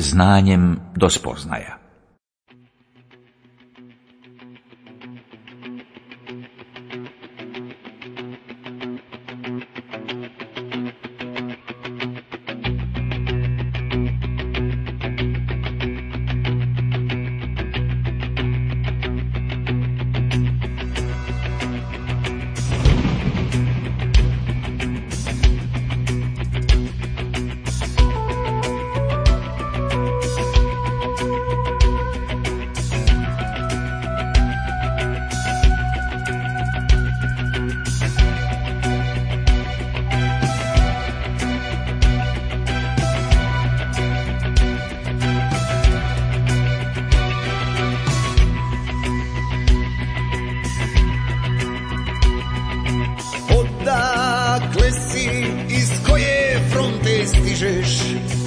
znanjem do spoznaja.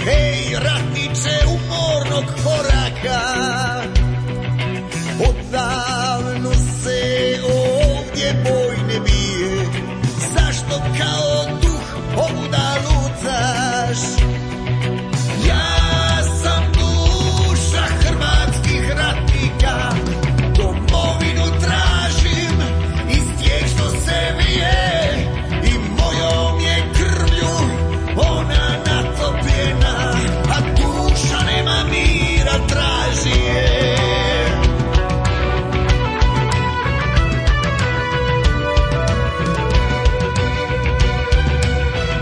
Hej, ratniče umornog koraka, odavno se ovdje boj ne bije. Zašto kao duh ovuda lutaš? Ja sam duša hrvatskih ratnika, domovinu tražim iz tijek što se vije i mojom je krvlju ona natopljena, a duša nema mira, traži je.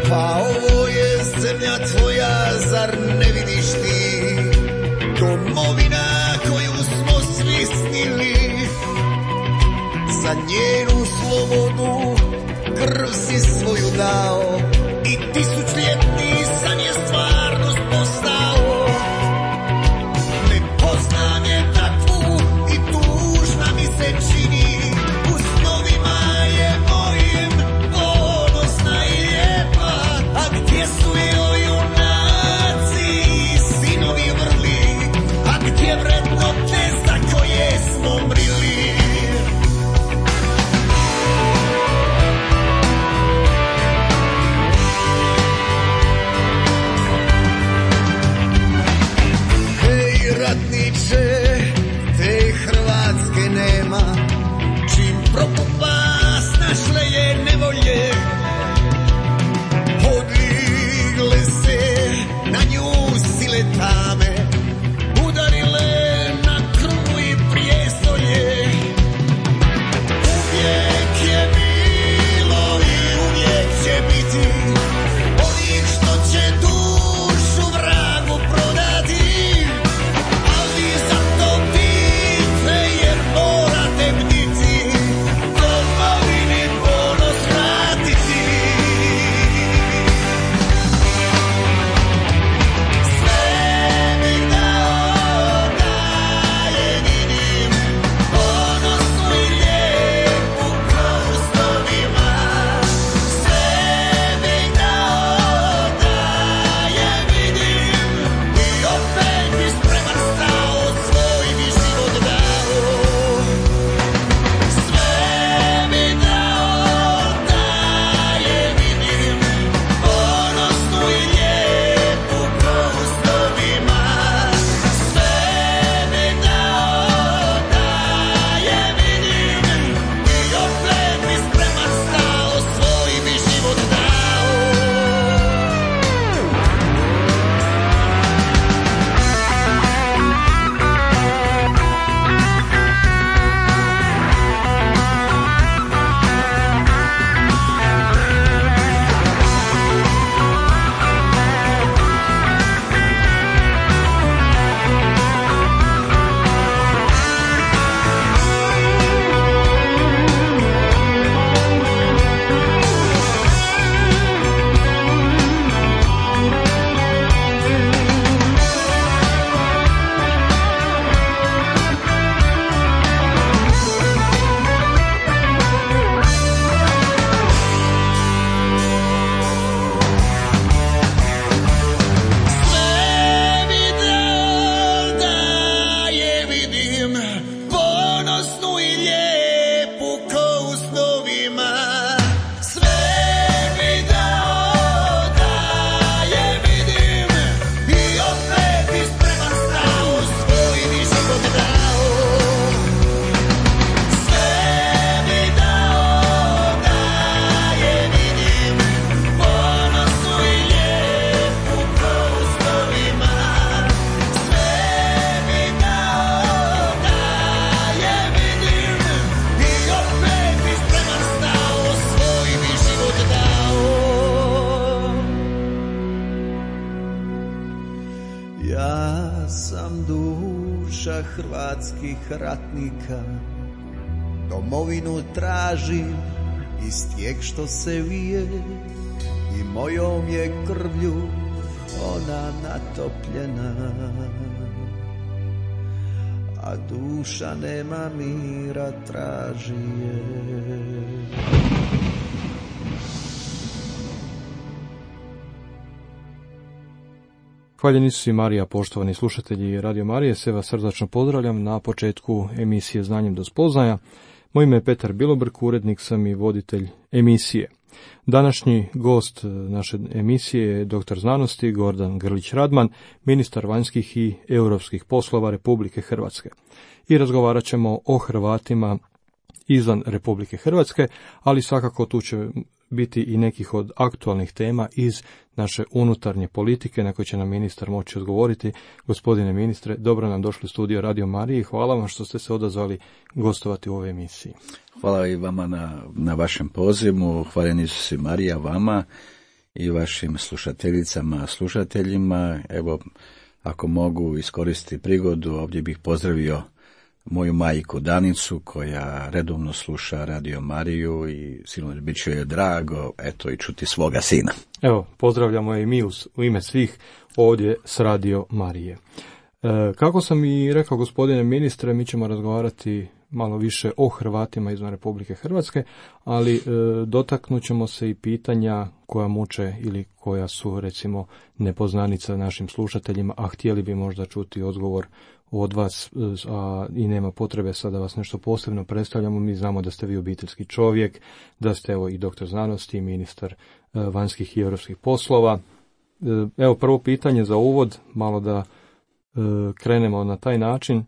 Pa ovo je zemlja tvoja, zar ne vidiš ti? Domovina koju smo svi snili, za njenu slobodu krv si svoju dao i tisućljetni san je stvarnost postao. Ne poznam je takvu i tužna mi se čini, u snovima je mojim ponosna i lijepa. A gdje su joj junaci i sinovi vrli, a gdje Ja sam duša hrvatskih ratnika, domovinu tražim iz tijek što se vije i mojom je krvlju ona natopljena, a duša nema mira, traži je. Hvaljeni Isus i Marija, poštovani slušatelji Radio Marije, sve vas srdačno pozdravljam na početku emisije Znanjem do spoznaja. Moje ime je Petar Bilobrk, urednik sam i voditelj emisije. Današnji gost naše emisije je doktor znanosti Gordan Grlić-Radman, ministar vanjskih i europskih poslova Republike Hrvatske. I razgovarat ćemo o Hrvatima izvan Republike Hrvatske, ali svakako tu će biti i nekih od aktualnih tema iz naše unutarnje politike na koje će nam ministar moći odgovoriti. Gospodine ministre, dobro nam došli u studio Radio Marije i hvala vam što ste se odazvali gostovati u ovoj emisiji. Hvala i vama na vašem pozivu, hvaljeni Isus i Marija vama i vašim slušateljicama, slušateljima. Evo, ako mogu iskoristiti prigodu, ovdje bih pozdravio moju majku Danicu, koja redovno sluša Radio Mariju i silno bit će joj drago, eto, i čuti svoga sina. Evo, pozdravljamo je i mi u ime svih ovdje s Radio Marije. Kako sam i rekao, gospodine ministre, mi ćemo razgovarati malo više o Hrvatima izvan Republike Hrvatske, ali dotaknut ćemo se i pitanja koja muče ili koja su, recimo, nepoznanica našim slušateljima, a htjeli bi možda čuti odgovor od vas, a i nema potrebe sada vas nešto posebno predstavljamo. Mi znamo da ste vi obiteljski čovjek, da ste evo i doktor znanosti i ministar vanjskih i europskih poslova. Evo, prvo pitanje za uvod, malo da krenemo na taj način.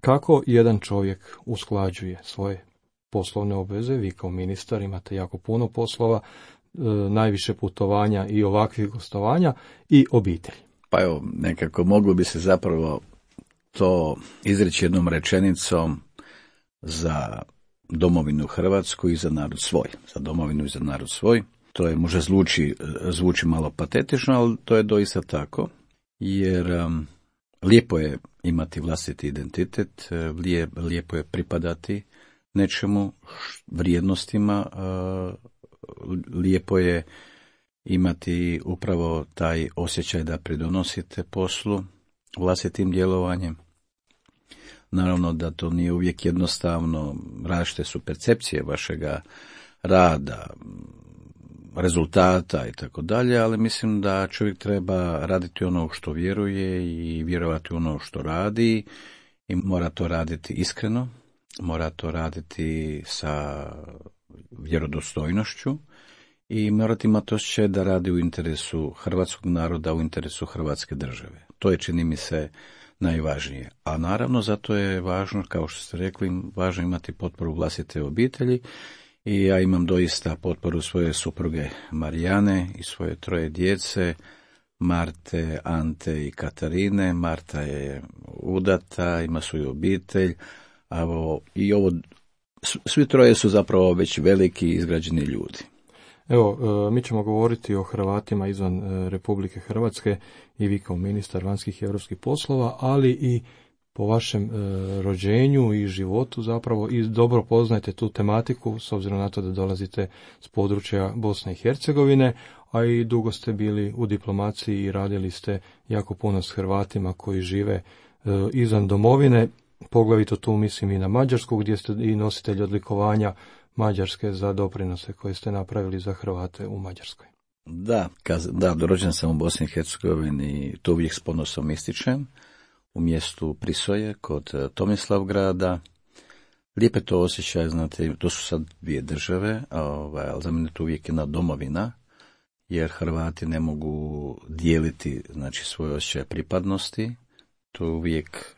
Kako jedan čovjek usklađuje svoje poslovne obveze? Vi kao ministar imate jako puno poslova, najviše putovanja i ovakvih gostovanja i obitelj. Pa evo, nekako moglo bi se zapravo to izreći jednom rečenicom za domovinu Hrvatsku i za narod svoj. Za domovinu i za narod svoj. To je, možda zvuči malo patetično, ali to je doista tako, jer lijepo je imati vlastiti identitet, lijepo je pripadati nečemu, vrijednostima, lijepo je imati upravo taj osjećaj da pridonosite poslu vlastitim djelovanjem. Naravno da to nije uvijek jednostavno, različite su percepcije vašega rada, rezultata i tako dalje, ali mislim da čovjek treba raditi ono što vjeruje i vjerovati ono što radi i mora to raditi iskreno, mora to raditi sa vjerodostojnošću i morati imati osjećaj da radi u interesu hrvatskog naroda, u interesu Hrvatske države. To je, čini mi se, najvažnije. A naravno zato je važno, kao što ste rekli, važno imati potporu vlastite obitelji. I ja imam doista potporu svoje supruge Marijane i svoje 3 djece, Marte, Ante i Katarine. Marta je udata, ima svoju obitelj, svi 3 su zapravo već veliki izgrađeni ljudi. Evo, mi ćemo govoriti o Hrvatima izvan Republike Hrvatske i vi kao ministar vanjskih i europskih poslova, ali i po vašem rođenju i životu zapravo i dobro poznajete tu tematiku, s obzirom na to da dolazite s područja Bosne i Hercegovine, a i dugo ste bili u diplomaciji i radili ste jako puno s Hrvatima koji žive izvan domovine, poglavito tu mislim i na Mađarsku, gdje ste i nositelj odlikovanja Mađarske za doprinose koje ste napravili za Hrvate u Mađarskoj. Da, rođen sam u Bosni i Hercegovini, to uvijek s ponosom ističem, u mjestu Prisoje, kod Tomislavgrada. Lijepe to osjećaj, znate, to su sad 2 države, ali za mene to uvijek jedna domovina, jer Hrvati ne mogu dijeliti, znači, svoj osjećaj pripadnosti. To je uvijek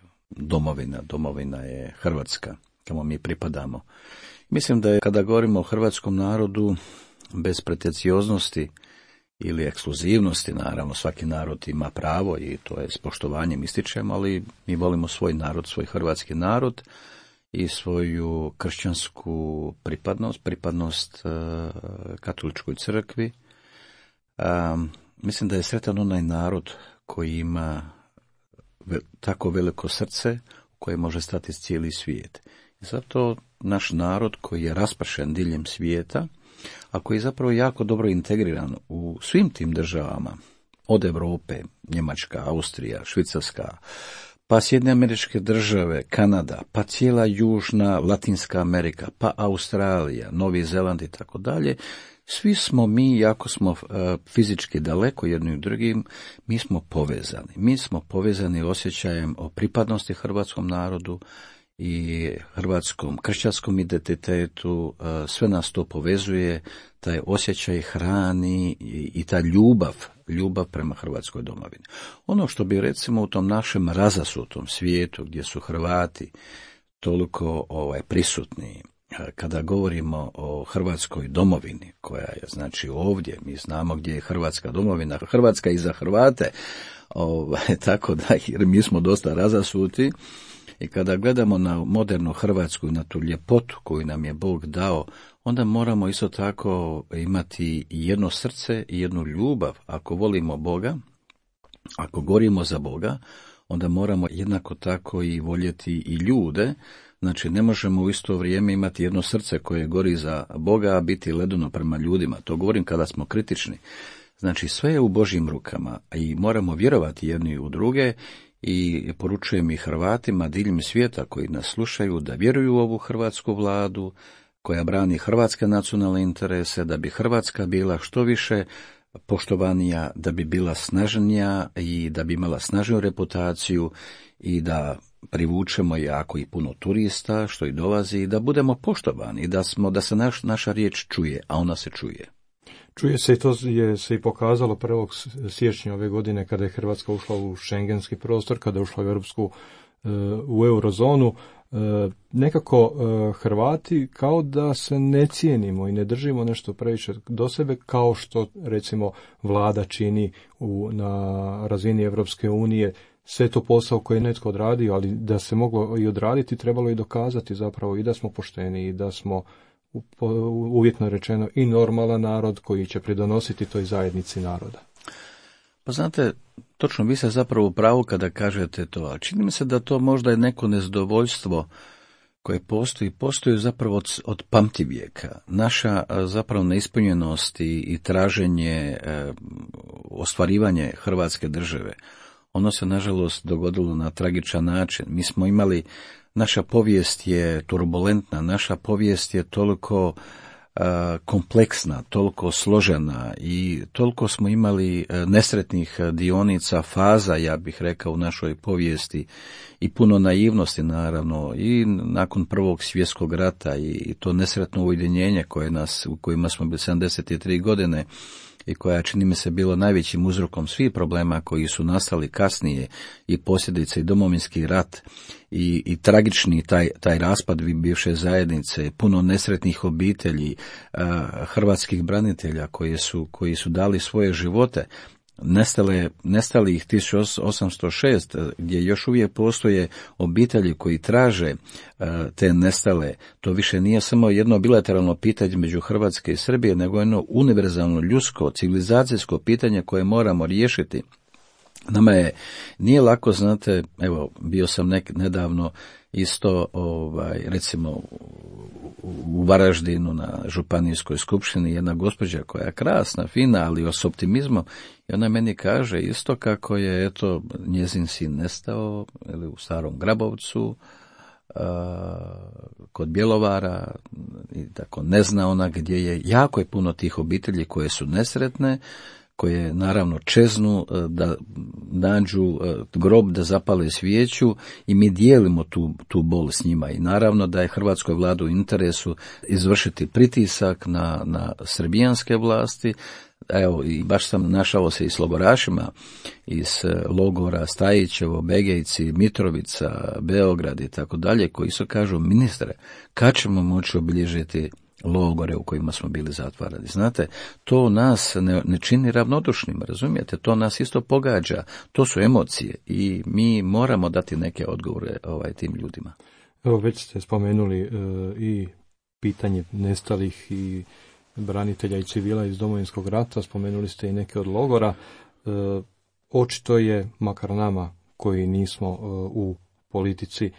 domovina je Hrvatska, kamo mi pripadamo. Mislim da je, kada govorimo o hrvatskom narodu, bez pretencioznosti ili ekskluzivnosti, naravno svaki narod ima pravo i to je s poštovanjem ističemo, ali mi volimo svoj narod, svoj hrvatski narod i svoju kršćansku pripadnost katoličkoj crkvi. Mislim da je sretan onaj narod koji ima tako veliko srce u koje može stati cijeli svijet. I zato naš narod koji je raspršen diljem svijeta, a koji je zapravo jako dobro integriran u svim tim državama, od Europe, Njemačka, Austrija, Švicarska, pa Sjedinjene Američke Države, Kanada, pa cijela Južna Latinska Amerika, pa Australija, Novi Zeland i tako dalje, svi smo mi, jako smo fizički daleko jedni od drugim, mi smo povezani. Mi smo povezani osjećajem o pripadnosti hrvatskom narodu i hrvatskom kršćanskom identitetu, sve nas to povezuje, taj osjećaj hrani i ta ljubav prema Hrvatskoj domovini. Ono što bi recimo u tom našem razasutom svijetu gdje su Hrvati toliko prisutni, kada govorimo o Hrvatskoj domovini, koja je znači ovdje, mi znamo gdje je Hrvatska domovina, Hrvatska i za Hrvate, tako da jer mi smo dosta razasuti. I kada gledamo na modernu Hrvatsku i na tu ljepotu koju nam je Bog dao, onda moramo isto tako imati jedno srce i jednu ljubav. Ako volimo Boga, ako gorimo za Boga, onda moramo jednako tako i voljeti i ljude. Znači, ne možemo u isto vrijeme imati jedno srce koje gori za Boga, a biti ledeno prema ljudima. To govorim kada smo kritični. Znači, sve je u Božjim rukama i moramo vjerovati jedni u druge. I poručujem i Hrvatima diljem svijeta koji nas slušaju da vjeruju u ovu hrvatsku vladu koja brani hrvatske nacionalne interese, da bi Hrvatska bila što više poštovanija, da bi bila snažnija i da bi imala snažniju reputaciju i da privučemo jako i puno turista što i dolazi i da budemo poštovani i da se naša riječ čuje, a ona se čuje. Čuje se i to je se i pokazalo 1. siječnja ove godine kada je Hrvatska ušla u šengenski prostor, kada je ušla u eurozonu. Nekako Hrvati kao da se ne cijenimo i ne držimo nešto previše do sebe kao što recimo vlada čini na razini Europske unije. Sve to posao koji je netko odradio, ali da se moglo i odraditi, trebalo i dokazati zapravo i da smo pošteni i da smo uvjetno rečeno i normalan narod koji će pridonositi toj zajednici naroda. Pa znate, točno vi ste zapravo u pravu kada kažete to, a čini mi se da to možda je neko nezadovoljstvo koje postoji zapravo od pamtivijeka. Naša zapravo neispunjenost i traženje, ostvarivanje Hrvatske države, ono se nažalost dogodilo na tragičan način. Mi smo imali, naša povijest je turbulentna, naša povijest je toliko kompleksna, toliko složena i toliko smo imali nesretnih dionica, faza, ja bih rekao, u našoj povijesti i puno naivnosti naravno i nakon Prvog svjetskog rata i to nesretno ujedinjenje u kojima smo bili 73 godine i koja čini mi se bilo najvećim uzrokom svih problema koji su nastali kasnije i posljedice i Domovinski rat i tragični taj raspad bivše zajednice, puno nesretnih obitelji, hrvatskih branitelja koji su dali svoje živote. Nestali ih 1806, gdje još uvijek postoje obitelji koji traže te nestale. To više nije samo jedno bilateralno pitanje među Hrvatske i Srbije, nego jedno univerzalno, ljudsko, civilizacijsko pitanje koje moramo riješiti. Nama nije lako, znate, evo, bio sam nedavno isto, recimo, u Varaždinu na županijskoj skupštini, jedna gospođa koja je krasna, fina, ali s optimizmom, i ona meni kaže isto kako je, eto, njezin sin nestao u Starom Grabovcu, kod Bjelovara, i tako ne zna ona gdje je. Jako je puno tih obitelji koje su nesretne, koje naravno čeznu da nađu grob, da zapale svijeću i mi dijelimo tu bol s njima i naravno da je hrvatskoj vladi u interesu izvršiti pritisak na srbijanske vlasti. Evo, i baš sam našao se i s logorašima iz logora Stajićevo, Begejci, Mitrovica, Beograd i tako dalje, koji su kažu: ministre, kad ćemo moći obilježiti logore u kojima smo bili zatvarani? Znate, to nas ne čini ravnodušnim, razumijete? To nas isto pogađa, to su emocije i mi moramo dati neke odgovore tim ljudima. Evo, već ste spomenuli i pitanje nestalih i branitelja i civila iz Domovinskog rata, spomenuli ste i neke od logora. Očito je, makar nama koji nismo u politici,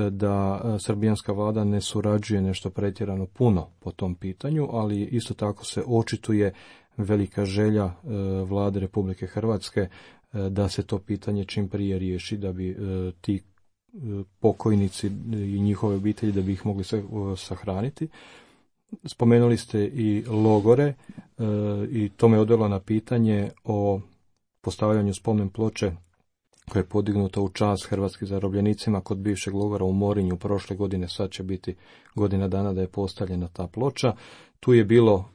da srbijanska vlada ne surađuje nešto pretjerano puno po tom pitanju, ali isto tako se očituje velika želja vlade Republike Hrvatske da se to pitanje čim prije riješi, da bi ti pokojnici i njihove obitelji, da bi ih mogli sahraniti. Spomenuli ste i logore i to me odvelo na pitanje o postavljanju spomen ploče koja je podignuta u čast hrvatskim zarobljenicima kod bivšeg logora u Morinju prošle godine. Sad će biti godina dana da je postavljena ta ploča. Tu je bilo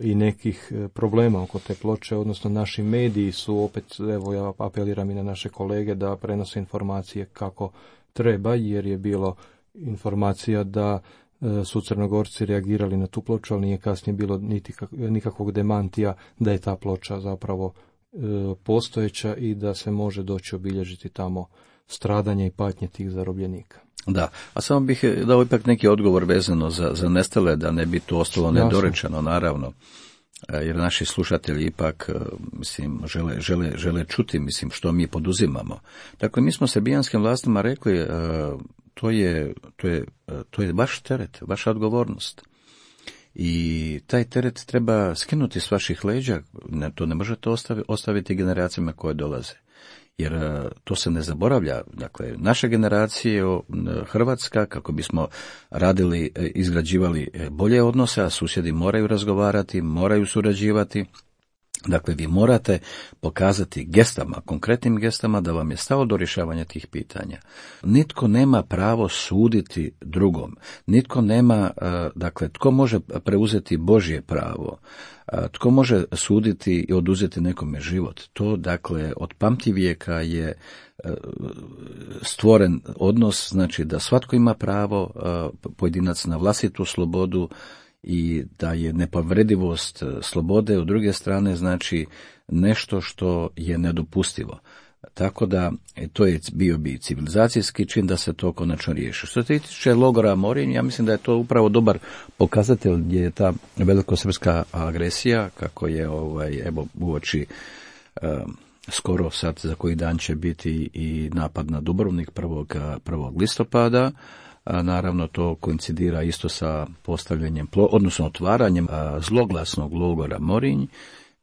i nekih problema oko te ploče, odnosno naši mediji su opet, evo ja apeliram i na naše kolege da prenose informacije kako treba, jer je bilo informacija da su Crnogorci reagirali na tu ploču, ali nije kasnije bilo nikakvog demantija da je ta ploča zapravo postojeća i da se može doći obilježiti tamo stradanje i patnje tih zarobljenika. Da, a samo bih dao ipak neki odgovor vezano za nestale, da ne bi to ostalo nedorečeno, naravno, jer naši slušatelji ipak, mislim, žele čuti, mislim, što mi poduzimamo. Dakle, mi smo srbijanskim vlastima rekli, to je vaš teret, vaša odgovornost. I taj teret treba skinuti s vaših leđa, to ne možete ostaviti generacijama koje dolaze. Jer to se ne zaboravlja. Dakle, naša generacija Hrvatska, kako bismo radili, izgrađivali bolje odnose, a susjedi moraju razgovarati, moraju surađivati. Dakle, vi morate pokazati gestama, konkretnim gestama, da vam je stalo do rješavanja tih pitanja. Nitko nema pravo suditi drugom. Nitko nema, dakle, tko može preuzeti Božje pravo? Tko može suditi i oduzeti nekome život? To, dakle, od pamtivijeka je stvoren odnos, znači da svatko ima pravo, pojedinac, na vlastitu slobodu, i da je nepovredivost slobode u druge strane znači nešto što je nedopustivo. Tako da to je bio bi civilizacijski čin da se to konačno riješi. Što se tiče logora Morinj, ja mislim da je to upravo dobar pokazatelj gdje je ta velikosrpska agresija, kako je evo uoči skoro sad za koji dan će biti i napad na Dubrovnik 1. listopada. Naravno, to koincidira isto sa postavljanjem, odnosno otvaranjem zloglasnog logora Morinj,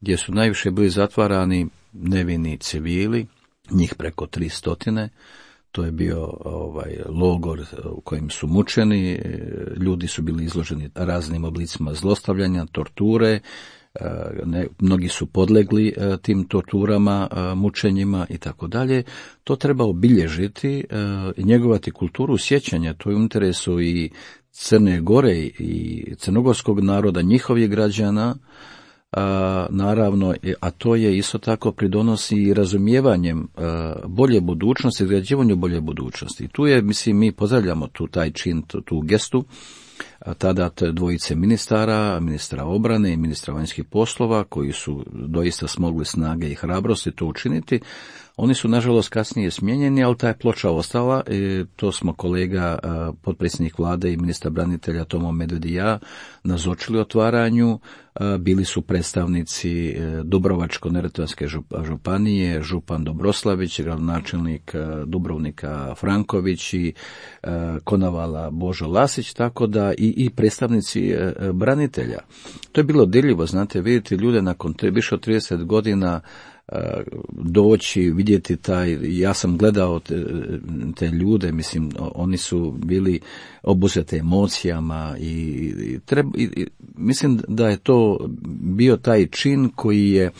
gdje su najviše bili zatvarani nevini civili, njih preko 300. To je bio logor u kojem su mučeni, ljudi su bili izloženi raznim oblicima zlostavljanja, torture, mnogi su podlegli tim torturama, mučenjima i tako dalje. To treba obilježiti i njegovati kulturu sjećanja. To je u interesu i Crne Gore i crnogorskog naroda, njihovih građana, naravno, a to je isto tako pridonosi i razumijevanjem bolje budućnosti, izgrađivanju bolje budućnosti. Tu je, mislim, mi pozdravljamo taj čin, tu gestu, tada dvojice ministara, ministra obrane i ministra vanjskih poslova, koji su doista smogli snage i hrabrosti to učiniti. Oni su, nažalost, kasnije smijenjeni, ali ta je ploča ostala. To smo kolega, potpredsjednik vlade i ministar branitelja Tomo Medved i ja nazočili otvaranju. Bili su predstavnici Dubrovačko-neretvanske županije, župan Dobroslavić, gradonačelnik Dubrovnika Franković i Konavala Božo Lasić, tako da i predstavnici branitelja. To je bilo dirljivo, znate, vidjeti ljude nakon više od 30 godina doći, vidjeti ja sam gledao te ljude, mislim, oni su bili obuzeti emocijama i mislim da je to bio taj čin koji je,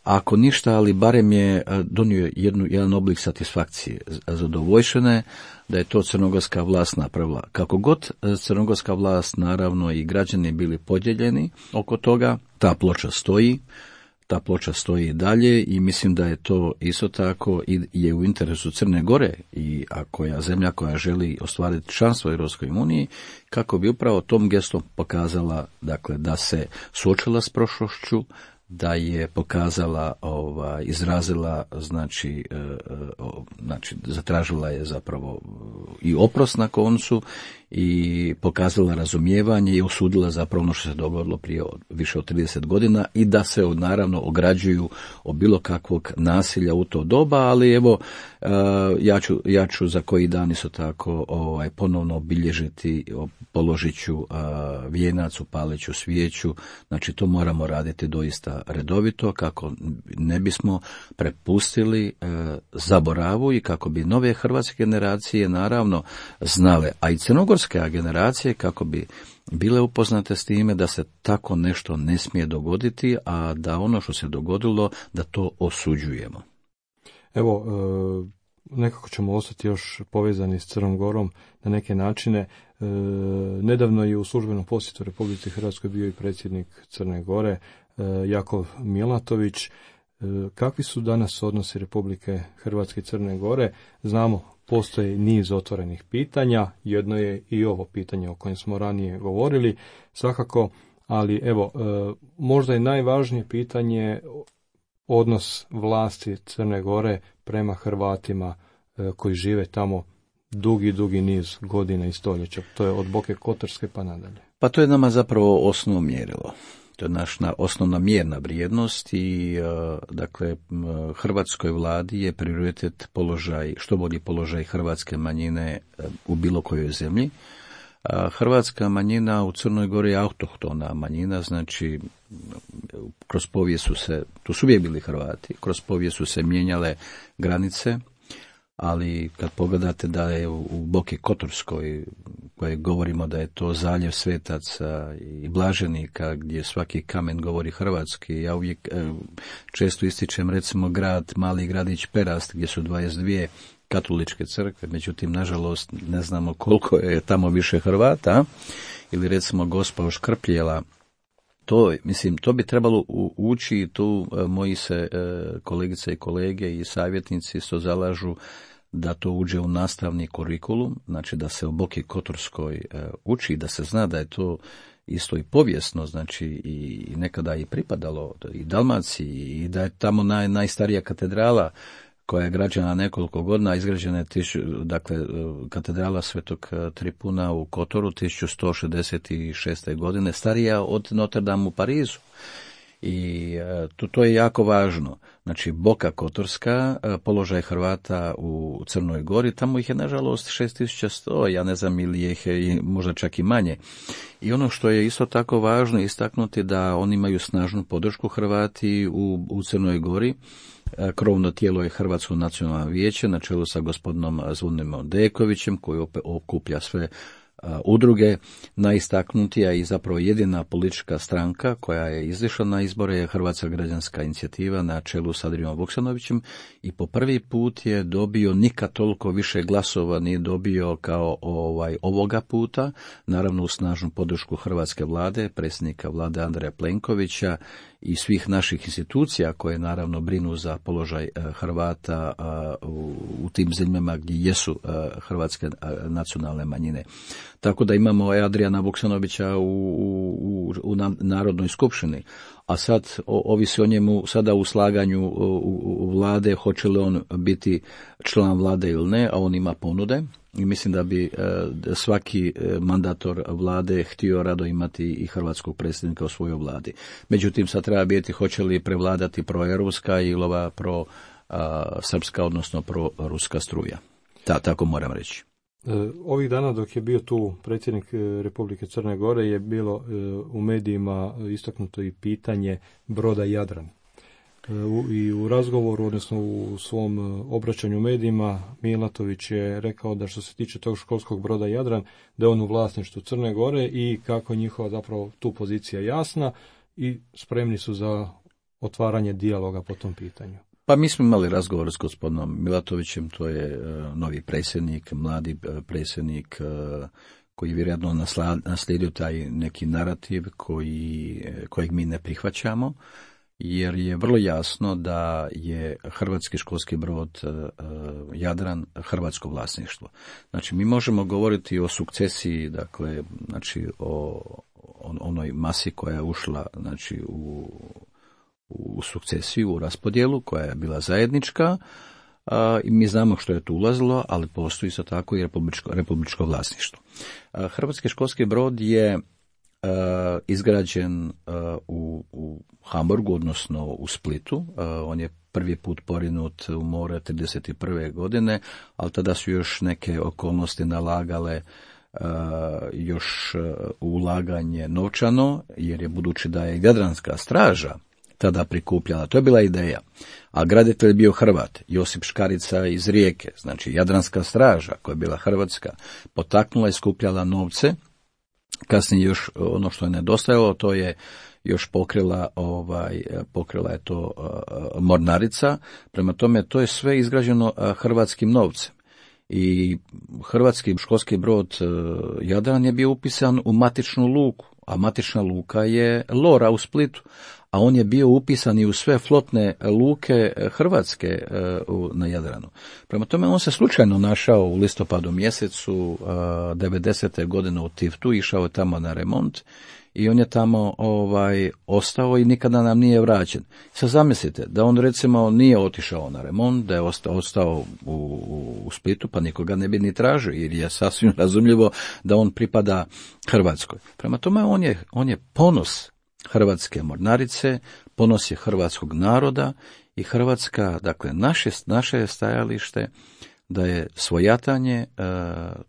ako ništa, ali barem je donio jedan oblik satisfakcije, zadovoljšene da je to crnogorska vlast napravila. Kako god crnogorska vlast, naravno, i građani bili podijeljeni oko toga, ta ploča stoji. Ta ploča stoji dalje i mislim da je to isto tako i je u interesu Crne Gore i zemlja koja želi ostvariti članstvo u Europskoj uniji, kako bi upravo tom gestom pokazala, dakle, da se suočila s prošlošću, da je pokazala, izrazila, znači zatražila je zapravo i oprost na koncu i pokazala razumijevanje i osudila zapravo ono što se dogodilo prije više od 30 godina i da se naravno ograđuju od bilo kakvog nasilja u to doba, ali evo ja ću za koji dan isto tako ponovno obilježiti, položit ću vijenac, upalit ću svijeću, znači to moramo raditi doista redovito kako ne bismo prepustili zaboravu i kako bi nove hrvatske generacije naravno znale, a i crnogorske generacije kako bi bile upoznate s time da se tako nešto ne smije dogoditi, a da ono što se dogodilo da to osuđujemo. Evo, nekako ćemo ostati još povezani s Crnom Gorom na neke načine. Nedavno je u službenom posjetu Republici Hrvatskoj bio i predsjednik Crne Gore, Jakov Milatović. Kakvi su danas odnosi Republike Hrvatske i Crne Gore? Znamo, postoji niz otvorenih pitanja, jedno je i ovo pitanje o kojem smo ranije govorili, svakako, ali evo, možda je najvažnije pitanje odnos vlasti Crne Gore prema Hrvatima koji žive tamo dugi niz godina i stoljeća. To je od Boke Kotorske pa nadalje. Pa to je nama zapravo osnovno mjerilo. To je naša osnovna mjerna vrijednost i dakle hrvatskoj vladi je prioritet položaj, što bolji položaj hrvatske manjine u bilo kojoj zemlji. Hrvatska manjina u Crnoj Gori je autohtona manjina, znači kroz povijest tu su uvijek bili Hrvati, kroz povijest su se mijenjale granice, ali kad pogledate da je u Boki Kotorskoj, koje govorimo da je to zaljev svetaca i blaženika, gdje svaki kamen govori hrvatski, ja uvijek često ističem recimo mali gradić Perast, gdje su 22 katoličke crkve, međutim, nažalost, ne znamo koliko je tamo više Hrvata, ili recimo Gospa Oškrpljela. To bi trebalo ući i tu moji se kolegice i kolege i savjetnici se zalažu da to uđe u nastavni kurikulum, znači da se o Boki Kotorskoj uči, da se zna da je to isto i povijesno, znači i nekada i pripadalo i Dalmaciji i da je tamo najstarija katedrala koja je građena nekoliko godina, izgrađena je katedrala Svetog Tripuna u Kotoru 1166. godine, starija od Notre Dame u Parizu. I to je jako važno. Znači, Boka Kotorska, položaj Hrvata u Crnoj Gori, tamo ih je nažalost 6100, ja ne znam ili ih je možda čak i manje. I ono što je isto tako važno istaknuti da oni imaju snažnu podršku Hrvati u Crnoj Gori. Krovno tijelo je Hrvatsko nacionalno vijeće na čelu sa gospodinom Zvonimirom Dekovićem koji okuplja sve udruge. Najistaknutija i zapravo jedina politička stranka koja je izišla na izbore je Hrvatska građanska inicijativa na čelu s Adrijom Vuksanovićem i po prvi put je dobio nikad toliko više glasova nije dobio kao ovoga puta, naravno u snažnu podršku hrvatske vlade, predsjednika vlade Andreja Plenkovića i svih naših institucija koje naravno brinu za položaj Hrvata u tim zemljama gdje jesu hrvatske nacionalne manjine. Tako da imamo Adrijana Vuksanovića u Narodnoj skupštini, a sad ovisi o njemu sada u slaganju u vlade, hoće li on biti član vlade ili ne, a on ima ponude. I mislim da bi svaki mandator vlade htio rado imati i hrvatskog predsjednika u svojoj vladi. Međutim, sad treba biti hoće li prevladati proeuropska ili ova pro-srpska, odnosno pro-ruska struja. Tako moram reći. Ovih dana dok je bio tu predsjednik Republike Crne Gore je bilo u medijima istaknuto i pitanje broda Jadran. I u razgovoru, odnosno u svom obraćanju medijima, Milatović je rekao da što se tiče tog školskog broda Jadran, da je on u vlasništvu Crne Gore i kako je njihova zapravo tu pozicija jasna i spremni su za otvaranje dijaloga po tom pitanju. Pa mi smo imali razgovor s gospodinom Milatovićem, to je novi predsjednik, mladi predsjednik koji je vjerojatno naslijedio taj neki narativ kojeg mi ne prihvaćamo, jer je vrlo jasno da je hrvatski školski brod Jadran hrvatsko vlasništvo. Znači, mi možemo govoriti o sukcesiji, dakle, znači o onoj masi koja je ušla, znači, u sukcesiju, u raspodjelu, koja je bila zajednička, i mi znamo što je tu ulazilo, ali postoji isto tako i republičko vlasništvo. Hrvatski školski brod je izgrađen u Hamburgu, odnosno u Splitu. On je prvi put porinut u more 1931. godine, ali tada su još neke okolnosti nalagale još ulaganje novčano, jer je budući da je Jadranska straža tada prikupljala, to je bila ideja, a graditelj je bio Hrvat, Josip Škarica iz Rijeke, znači Jadranska straža, koja je bila hrvatska, potaknula i skupljala novce. Kasnije još ono što je nedostajalo, to je još pokrila je to mornarica, prema tome to je sve izgrađeno hrvatskim novcem. I hrvatski školski brod Jadran je bio upisan u matičnu luku, a matična luka je Lora u Splitu, a on je bio upisan i u sve flotne luke hrvatske na Jadranu. Prema tome on se slučajno našao u listopadu mjesecu 90. godine u Tiftu, išao je tamo na remont i on je tamo ostao i nikada nam nije vraćen. Sad zamislite da on recimo nije otišao na remont, da je ostao u Splitu, pa nikoga ne bi ni tražio, jer je sasvim razumljivo da on pripada Hrvatskoj. Prema tome on je ponos hrvatske mornarice, ponos je hrvatskog naroda i Hrvatska, dakle naše je stajalište da je svojatanje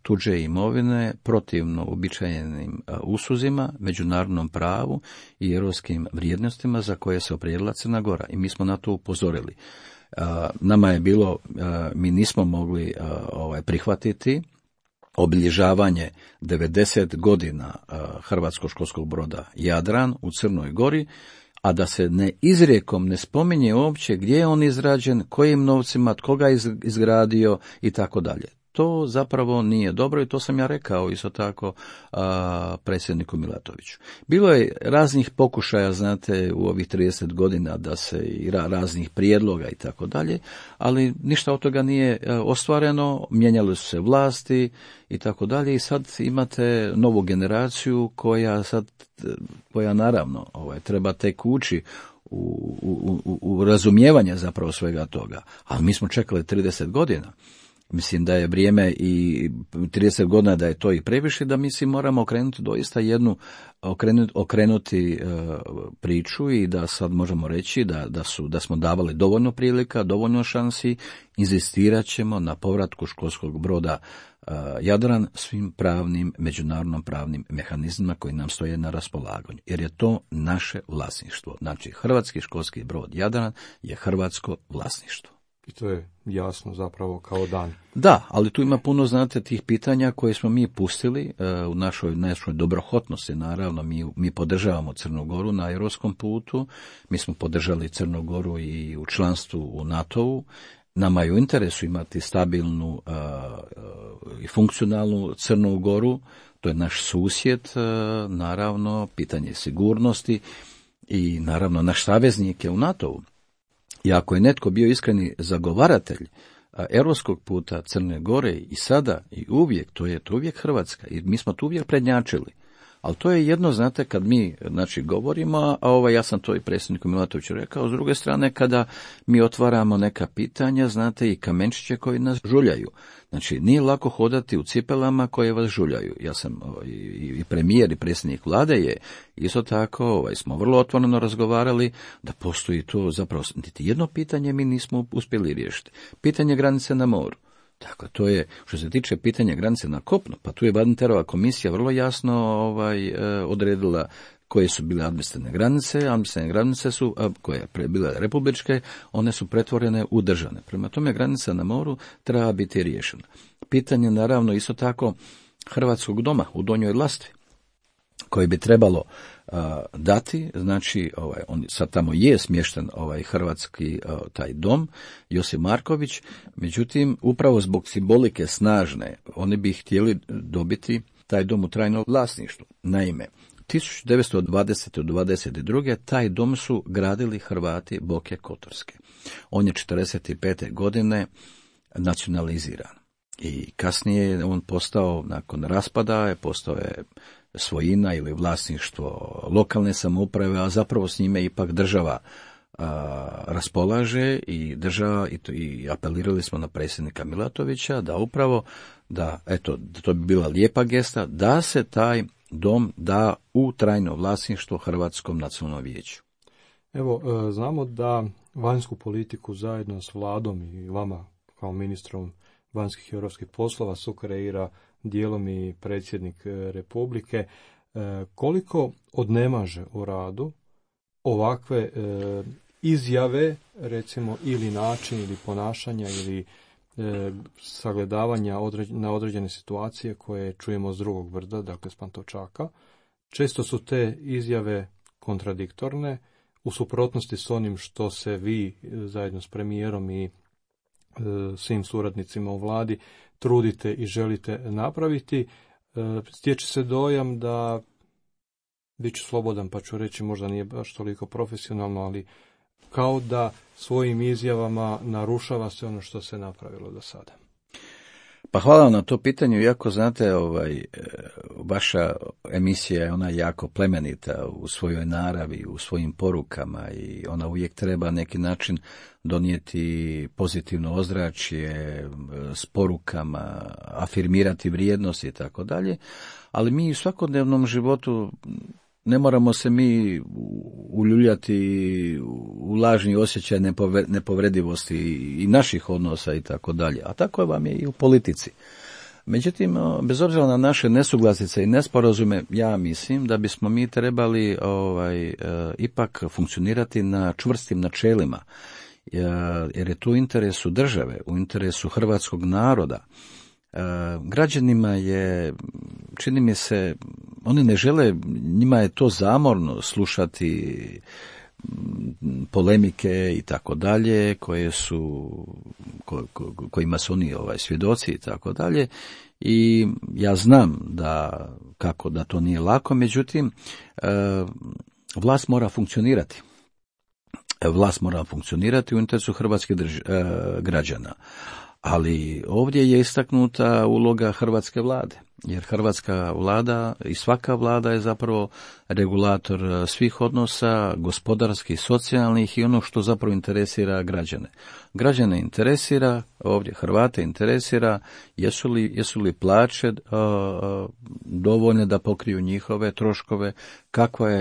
tuđe imovine protivno uobičajenim usuzima, međunarodnom pravu i europskim vrijednostima za koje se opredijelila Crna Gora. I mi smo na to upozorili. Nama je bilo, mi nismo mogli prihvatiti obilježavanje 90 godina hrvatskog školskog broda Jadran u Crnoj Gori, a da se izrijekom ne spominje uopće gdje je on izrađen, kojim novcima, tko ga izgradio i tako dalje. To zapravo nije dobro i to sam ja rekao isto tako predsjedniku Milatoviću. Bilo je raznih pokušaja, znate, u ovih 30 godina da se i raznih prijedloga i tako dalje, ali ništa od toga nije ostvareno, mijenjale su se vlasti i tako dalje i sad imate novu generaciju koja naravno treba tek ući u razumijevanje zapravo svega toga, ali mi smo čekali 30 godina. Mislim da je vrijeme i 30 godina da je to i previše, da mi si moramo okrenuti doista okrenuti priču i da sad možemo reći da smo davali dovoljno prilika, dovoljno šansi, inzistirat ćemo na povratku školskog broda Jadran svim pravnim, međunarodnom pravnim mehanizmima koji nam stoje na raspolaganju, jer je to naše vlasništvo. Znači, hrvatski školski brod Jadran je hrvatsko vlasništvo. I to je jasno zapravo kao dan. Da, ali tu ima puno, znate, tih pitanja koje smo mi pustili u našoj dobrohotnosti, naravno, mi podržavamo Crnu Goru na europskom putu, mi smo podržali Crnu Goru i u članstvu u NATO-u, nama je u interesu imati stabilnu i funkcionalnu Crnu Goru, to je naš susjed, naravno, pitanje sigurnosti i naravno naš saveznik je u NATO-u. I ako je netko bio iskreni zagovaratelj europskog puta Crne Gore i sada i uvijek, to je uvijek Hrvatska i mi smo tu uvijek prednjačili. Ali to je jedno, znate, kad mi govorimo, a ja sam to i predsjedniku Milatoviću rekao, s druge strane kada mi otvaramo neka pitanja, znate, i kamenčiće koji nas žuljaju. Znači, nije lako hodati u cipelama koje vas žuljaju. Ja sam i premijer i predsjednik vlade je isto tako, smo vrlo otvoreno razgovarali da postoji to zapravo, niti jedno pitanje mi nismo uspjeli riješiti. Pitanje granice na moru. Dakle, to je, što se tiče pitanja granice na kopnu, pa tu je Badinterova komisija vrlo jasno odredila koje su bile administrativne granice su, koje je bile republičke, one su pretvorene u državne. Prema tome, granica na moru treba biti riješena. Pitanje, naravno, isto tako Hrvatskog doma u Donjoj Lastvi, koji bi trebalo dati, znači on sad tamo je smješten hrvatski taj dom Josip Marković, međutim upravo zbog simbolike snažne oni bi htjeli dobiti taj dom u trajno vlasništvo. Naime, 1920. do 1922. taj dom su gradili Hrvati Boke Kotorske. On je 1945. godine nacionaliziran i kasnije on postao, nakon raspada, postao je svojina ili vlasništvo lokalne samouprave, a zapravo s njime ipak država raspolaže i država i apelirali smo na predsjednika Milatovića da upravo da eto to bi bila lijepa gesta da se taj dom da u trajno vlasništvo Hrvatskom nacionalnom vijeću. Evo, znamo da vanjsku politiku zajedno s vladom i vama kao ministrom vanjskih i europskih poslova sukreira dijelom i predsjednik Republike. Koliko odnemaže u radu ovakve izjave, recimo, ili način ili ponašanja ili sagledavanja na određene situacije koje čujemo s drugog brda, dakle s Pantovčaka. Često su te izjave kontradiktorne, u suprotnosti s onim što se vi zajedno s premijerom i svim suradnicima u vladi trudite i želite napraviti. Stječe se dojam da, bit ću slobodan pa ću reći, možda nije baš toliko profesionalno, ali kao da svojim izjavama narušava se ono što se napravilo do sada. Pa hvala vam na to pitanju, iako znate, vaša emisija je ona jako plemenita u svojoj naravi, u svojim porukama i ona uvijek treba neki način donijeti pozitivno ozračje s porukama, afirmirati vrijednosti i tako dalje, ali mi u svakodnevnom životu ne moramo se mi uljuljati u lažni osjećaj nepovredivosti i naših odnosa i tako dalje. A tako vam je i u politici. Međutim, bez obzira na naše nesuglasice i nesporazume, ja mislim da bismo mi trebali ipak funkcionirati na čvrstim načelima. Jer je to u interesu države, u interesu hrvatskog naroda. Građanima je, čini mi se, oni ne žele, njima je to zamorno slušati polemike i tako dalje, kojima su oni svjedoci i tako dalje. I ja znam da to nije lako, međutim, vlast mora funkcionirati. Vlast mora funkcionirati u interesu hrvatskih građana. Ali ovdje je istaknuta uloga hrvatske vlade, jer hrvatska vlada i svaka vlada je zapravo regulator svih odnosa, gospodarskih, socijalnih i ono što zapravo interesira građane. Građane interesira, ovdje Hrvate interesira, jesu li plaće dovoljne da pokriju njihove troškove,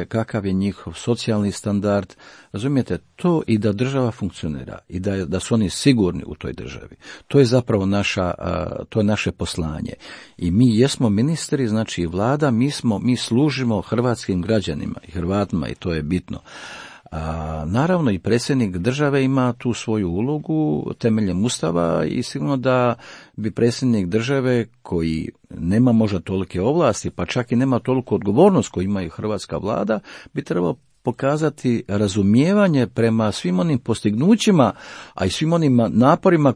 kakav je njihov socijalni standard, razumijete, to i da država funkcionira i da su oni sigurni u toj državi. To je zapravo to je naše poslanje. I mi jesmo ministri, znači vlada, mi služimo hrvatskim građanima i Hrvatima i to je bitno. Naravno i predsjednik države ima tu svoju ulogu temeljem Ustava i sigurno da bi predsjednik države koji nema možda tolike ovlasti, pa čak i nema toliko odgovornost koju ima i hrvatska vlada, bi trebao pokazati razumijevanje prema svim onim postignućima, a i svim onim naporima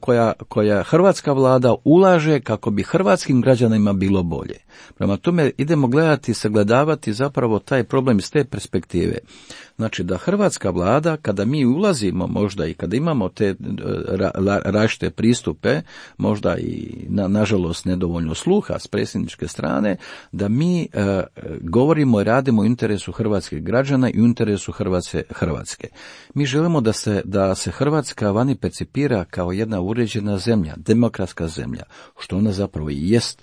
koja hrvatska vlada ulaže kako bi hrvatskim građanima bilo bolje. Prema tome idemo gledati, sagledavati zapravo taj problem iz te perspektive. Znači da hrvatska vlada, kada mi ulazimo možda i kada imamo te različite pristupe, možda i nažalost nedovoljno sluha s predsjedničke strane, da mi govorimo i radimo u interesu hrvatskih građana i u interesu Hrvatske. Mi želimo da se Hrvatska vani percipira kao jedna uređena zemlja, demokratska zemlja, što ona zapravo i jest.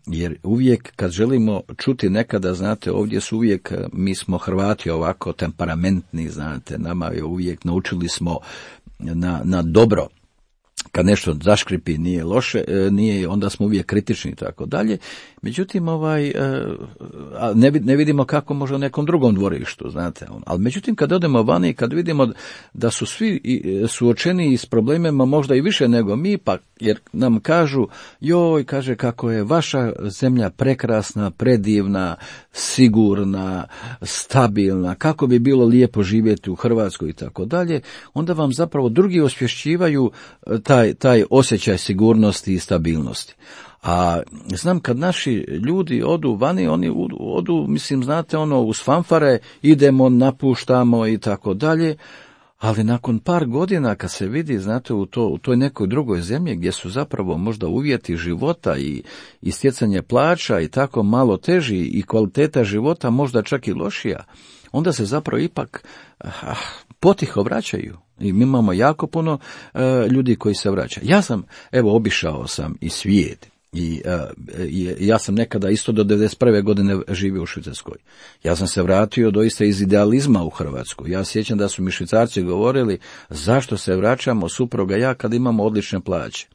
Jer uvijek kad želimo čuti nekada, znate, ovdje su uvijek, mi smo Hrvati ovako temperamentni, znate, nama je uvijek naučili smo na dobro. Kad nešto zaškripi nije loše, onda smo uvijek kritični i tako dalje. Međutim, ne vidimo kako može u nekom drugom dvorištu, znate. Ali međutim, kad odemo vani i kad vidimo da su svi suočeni s problemima možda i više nego mi, pa jer nam kažu, kaže kako je vaša zemlja prekrasna, predivna, sigurna, stabilna, kako bi bilo lijepo živjeti u Hrvatskoj i tako dalje, onda vam zapravo drugi osvješćivaju taj osjećaj sigurnosti i stabilnosti. A znam kad naši ljudi odu vani, oni odu, mislim, znate, uz fanfare, idemo, napuštamo i tako dalje, Ali nakon par godina kad se vidi, znate, u toj nekoj drugoj zemlji gdje su zapravo možda uvjeti života i stjecanje plaća i tako malo teži i kvaliteta života možda čak i lošija, onda se zapravo ipak potiho vraćaju. I mi imamo jako puno ljudi koji se vraćaju. Ja sam, obišao sam i svijet. I ja sam nekada isto do 91. godine živio u Švicarskoj. Ja sam se vratio doista iz idealizma u Hrvatsku. Ja sjećam da su mi Švicarci govorili zašto se vraćamo supruga ja kad imamo odlične plaće.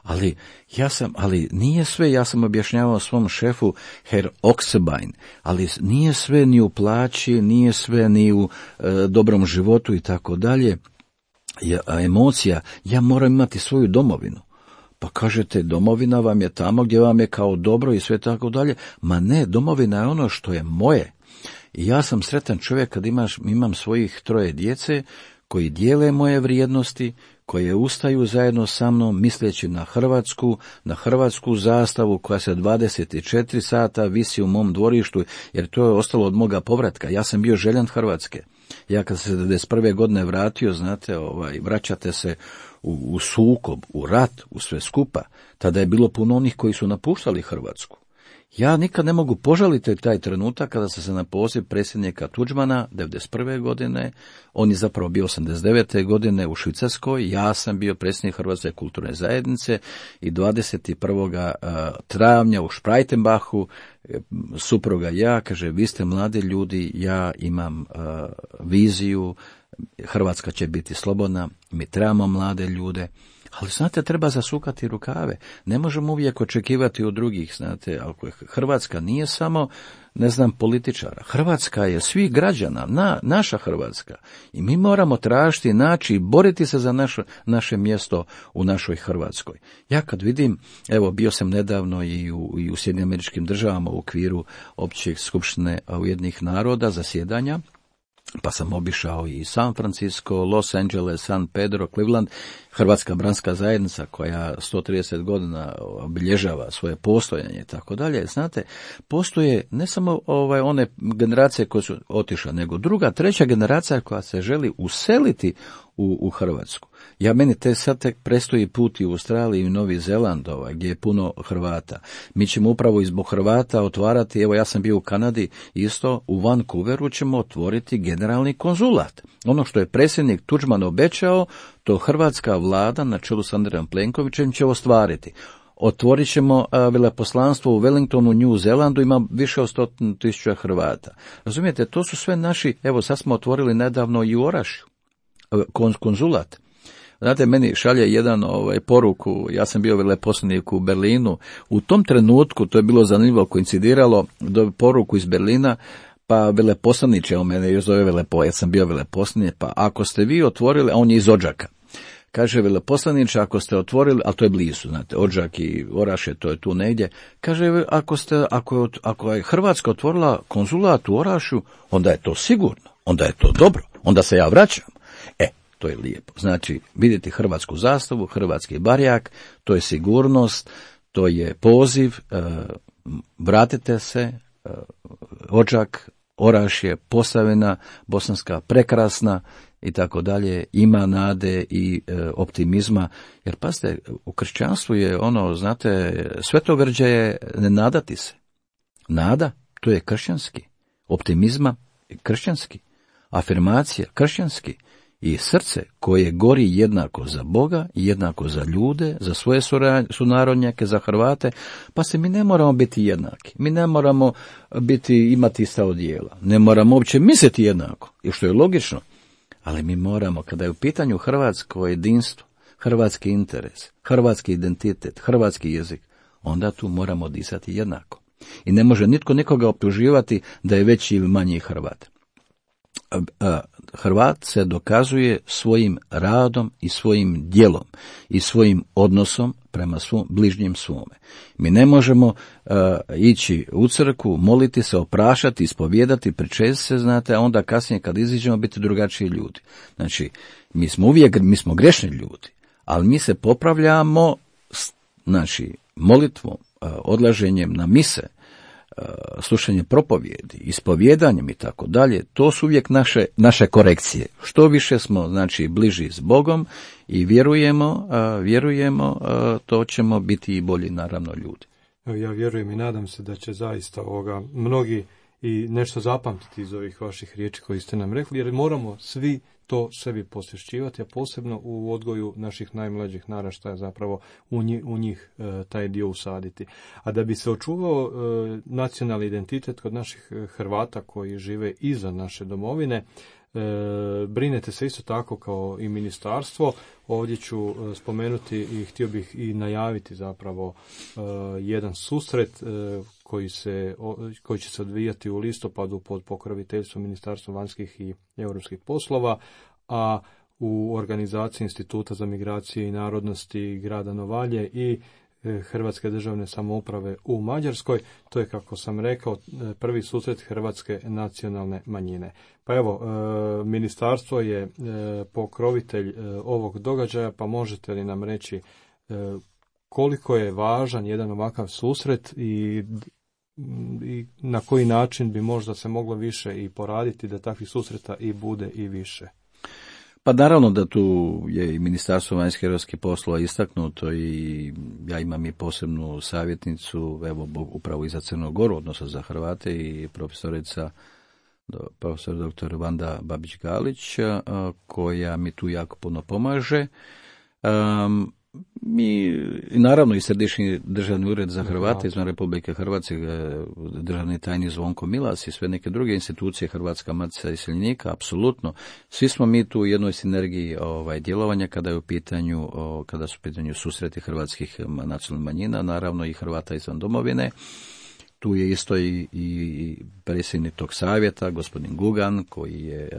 Ali nije sve, ja sam objašnjavao svom šefu Herr Oxebein, ali nije sve ni u plaći, nije sve ni u dobrom životu i tako dalje. Emocija, ja moram imati svoju domovinu. Pa kažete, domovina vam je tamo gdje vam je kao dobro i sve tako dalje. Ma ne, domovina je ono što je moje. I ja sam sretan čovjek kad imam svojih 3 djece koji dijele moje vrijednosti, koje ustaju zajedno sa mnom misleći na hrvatsku zastavu koja se 24 sata visi u mom dvorištu, jer to je ostalo od moga povratka. Ja sam bio željan Hrvatske. Ja kad se 91. godine vratio, znate, vraćate se u sukob, u rat, u sve skupa. Tada je bilo puno onih koji su napuštali Hrvatsku. Ja nikad ne mogu požaliti taj trenutak kada sam se na poziv predsjednika Tuđmana 91. godine, on je zapravo bio 89. godine u Švicarskoj, ja sam bio predsjednik Hrvatske kulturne zajednice i 21. travnja u Šprajtenbachu supruga ja, kaže, vi ste mladi ljudi, ja imam viziju, Hrvatska će biti slobodna, mi trebamo mlade ljude. Ali, znate, treba zasukati rukave. Ne možemo uvijek očekivati od drugih, znate, ako Hrvatska nije samo, političara. Hrvatska je svih građana, naša Hrvatska. I mi moramo tražiti, naći i boriti se za naše mjesto u našoj Hrvatskoj. Ja kad vidim, bio sam nedavno i u Sjedinjenim Američkim Državama u okviru Opće skupštine Ujedinjenih naroda zasjedanja, pa sam obišao i San Francisco, Los Angeles, San Pedro, Cleveland, Hrvatska branska zajednica koja 130 godina obilježava svoje postojanje i tako dalje. Znate, postoje ne samo one generacije koje su otišle, nego druga, treća generacija koja se želi useliti u Hrvatsku. Meni sad tek predstoji put i u Australiji i u Novi Zeland, gdje je puno Hrvata. Mi ćemo upravo i zbog Hrvata otvarati, ja sam bio u Kanadi, isto u Vancouveru ćemo otvoriti generalni konzulat. Ono što je predsjednik Tuđman obećao, to hrvatska vlada na čelu s Andrejom Plenkovićem će ostvariti. Otvorit ćemo veleposlanstvo u Wellingtonu, New Zealandu, ima više od 100.000 Hrvata. Razumijete, to su sve naši, sad smo otvorili nedavno i u Orašju konzulat. Znate, meni šalje jedan poruku, ja sam bio veleposlanik u Berlinu, u tom trenutku, to je bilo zanimljivo, koincidiralo, poruku iz Berlina, pa veleposlaniče, on mene još zove ja sam bio veleposlanik, pa ako ste vi otvorili, a on je iz Odžaka, kaže veleposlaniče, ako je blizu, znate, Odžak i Orašje, to je tu negdje, kaže, ako je Hrvatska otvorila konzulat u Orašju, onda je to sigurno, onda je to dobro, onda se ja vraćam. To je lijepo. Znači, vidjeti hrvatsku zastavu, hrvatski barjak, to je sigurnost, to je poziv, vratite se, Odžak, Orašje, Posavina, Bosanska, prekrasna i tako dalje, ima nade i optimizma, jer pazite, u kršćanstvu je znate, svetogrđe je ne nadati se. Nada, to je kršćanski. Optimizma je kršćanski. Afirmacija, kršćanski. I srce koje gori jednako za Boga, jednako za ljude, za svoje sunarodnjake, za Hrvate, pa se mi ne moramo biti jednaki. Mi ne moramo imati ista odjela. Ne moramo uopće misliti jednako, i što je logično. Ali mi moramo, kada je u pitanju hrvatsko jedinstvo, hrvatski interes, hrvatski identitet, hrvatski jezik, onda tu moramo disati jednako. I ne može nitko nikoga optuživati da je veći ili manji Hrvat. Hrvat se dokazuje svojim radom i svojim djelom i svojim odnosom prema svom bližnjem svome. Mi ne možemo ići u crkvu, moliti se, oprašati, ispovijedati, pričesti se, znate, a onda kasnije kad iziđemo biti drugačiji ljudi. Znači, mi smo grešni ljudi, ali mi se popravljamo, znači, molitvom, odlaženjem na mise, slušanje propovjedi, ispovjedanjem i tako dalje, to su uvijek naše korekcije. Što više smo, znači, bliži s Bogom i vjerujemo, to ćemo biti i bolji, naravno, ljudi. Ja vjerujem i nadam se da će zaista mnogi i nešto zapamtiti iz ovih vaših riječi koji ste nam rekli, jer moramo svi to sebi posvješćivati, a posebno u odgoju naših najmlađih naraštaja, zapravo u njih taj dio usaditi. A da bi se očuvao nacionalni identitet kod naših Hrvata koji žive izvan naše domovine, brinete se isto tako kao i ministarstvo. Ovdje ću spomenuti i htio bih i najaviti zapravo jedan susret koji će se odvijati u listopadu pod pokroviteljstvom Ministarstva vanjskih i europskih poslova, a u organizaciji Instituta za migracije i narodnosti grada Novalje i Hrvatske državne samouprave u Mađarskoj. To je, kako sam rekao, prvi susret hrvatske nacionalne manjine. Pa evo, ministarstvo je pokrovitelj ovog događaja, pa možete li nam reći koliko je važan jedan ovakav susret i na koji način bi možda se moglo više i poraditi da takvih susreta i bude i više? Pa naravno da tu je i Ministarstvo vanjskih i europskih poslova istaknuto i ja imam i posebnu savjetnicu, evo upravo i za Crnu Goru, odnosno za Hrvate, i profesor dr. Vanda Babić-Galić, koja mi tu jako puno pomaže. Mi, naravno, i Središnji državni ured za Hrvate izvan Republike Hrvatske, državni tajnik Zvonko Milas i sve neke druge institucije, Hrvatska matica iseljenika, apsolutno. Svi smo mi tu u jednoj sinergiji djelovanja kada su u pitanju susreti hrvatskih nacionalnih manjina, naravno i Hrvata izvan domovine. Tu je isto i predsjednik tog savjeta, gospodin Gugan, koji je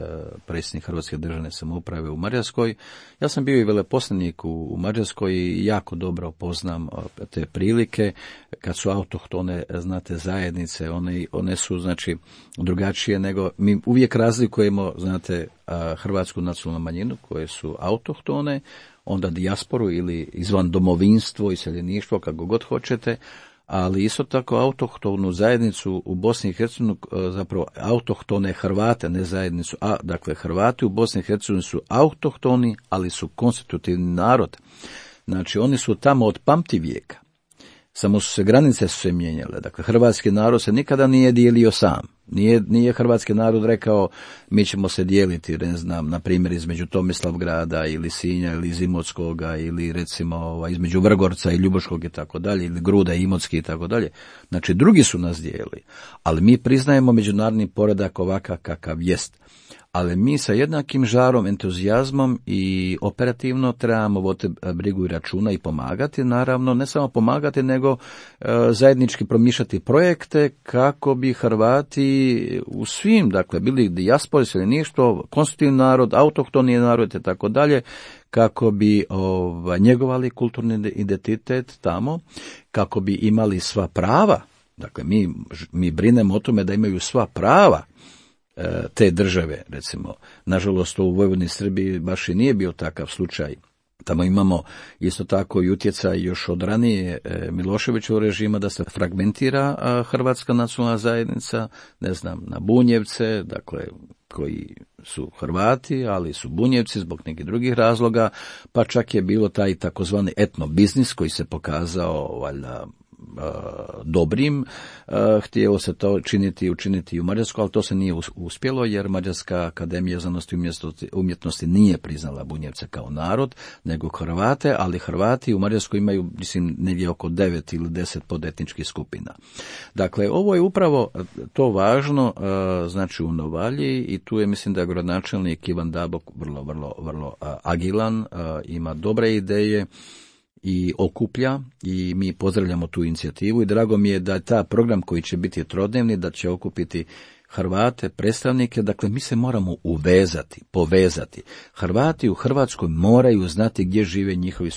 predsjednik Hrvatske državne samouprave u Mađarskoj. Ja sam bio i veleposlanik u Mađarskoj i jako dobro poznam te prilike. Kad su autohtone, znate, zajednice, one su, znači, drugačije nego, mi uvijek razlikujemo, znate, hrvatsku nacionalnu manjinu koje su autohtone, onda dijasporu ili izvan domovinstvo, iseljeništvo, kako god hoćete, ali isto tako autohtonu zajednicu u Bosni i Hercegovini, zapravo autohtone Hrvate, ne zajednicu, dakle Hrvati u Bosni i Hercegovini su autohtoni, ali su konstitutivni narod. Znači, oni su tamo od pamtivijeka. Samo su se granice mijenjale. Dakle, hrvatski narod se nikada nije dijelio sam. Nije hrvatski narod rekao mi ćemo se dijeliti, ne znam, na primjer između Tomislavgrada ili Sinja ili iz Imotskoga ili recimo između Vrgorca i Ljubuškog i tako dalje, ili Gruda i Imotski i tako dalje. Znači, drugi su nas dijelili, ali mi priznajemo međunarodni poredak ovakav kakav jest. Ali mi sa jednakim žarom, entuzijazmom i operativno trebamo voditi brigu i računa i pomagati, naravno, ne samo pomagati, nego zajednički promišljati projekte kako bi Hrvati u svim, dakle, bili dijaspora, iseljeništvo, konstitutivni narod, autohtoni narod i tako dalje, kako bi njegovali kulturni identitet tamo, kako bi imali sva prava. Dakle, mi brinemo o tome da imaju sva prava te države, recimo. Nažalost, u Vojvodini i Srbiji baš i nije bio takav slučaj. Tamo imamo isto tako i utjecaj još od ranije Miloševićevog režima da se fragmentira hrvatska nacionalna zajednica, ne znam, na Bunjevce, dakle, koji su Hrvati, ali su Bunjevci zbog nekih drugih razloga, pa čak je bilo taj takozvani etnobiznis koji se pokazao, valjda, dobrim, htjelo se to učiniti u Mađarskoj, ali to se nije uspjelo, jer Mađarska akademija znanosti i umjetnosti nije priznala Bunjevce kao narod, nego Hrvate, ali Hrvati u Mađarskoj imaju, mislim, negdje oko 9 ili 10 podetničkih skupina. Dakle, ovo je upravo to važno, znači u Novalji, i tu je, mislim, da je gradonačelnik Ivan Dabok vrlo agilan, ima dobre ideje i okuplja, i mi pozdravljamo tu inicijativu i drago mi je da ta program koji će biti trodnevni, da će okupiti Hrvate, predstavnike, dakle mi se moramo povezati. Hrvati u Hrvatskoj moraju znati gdje žive njihovi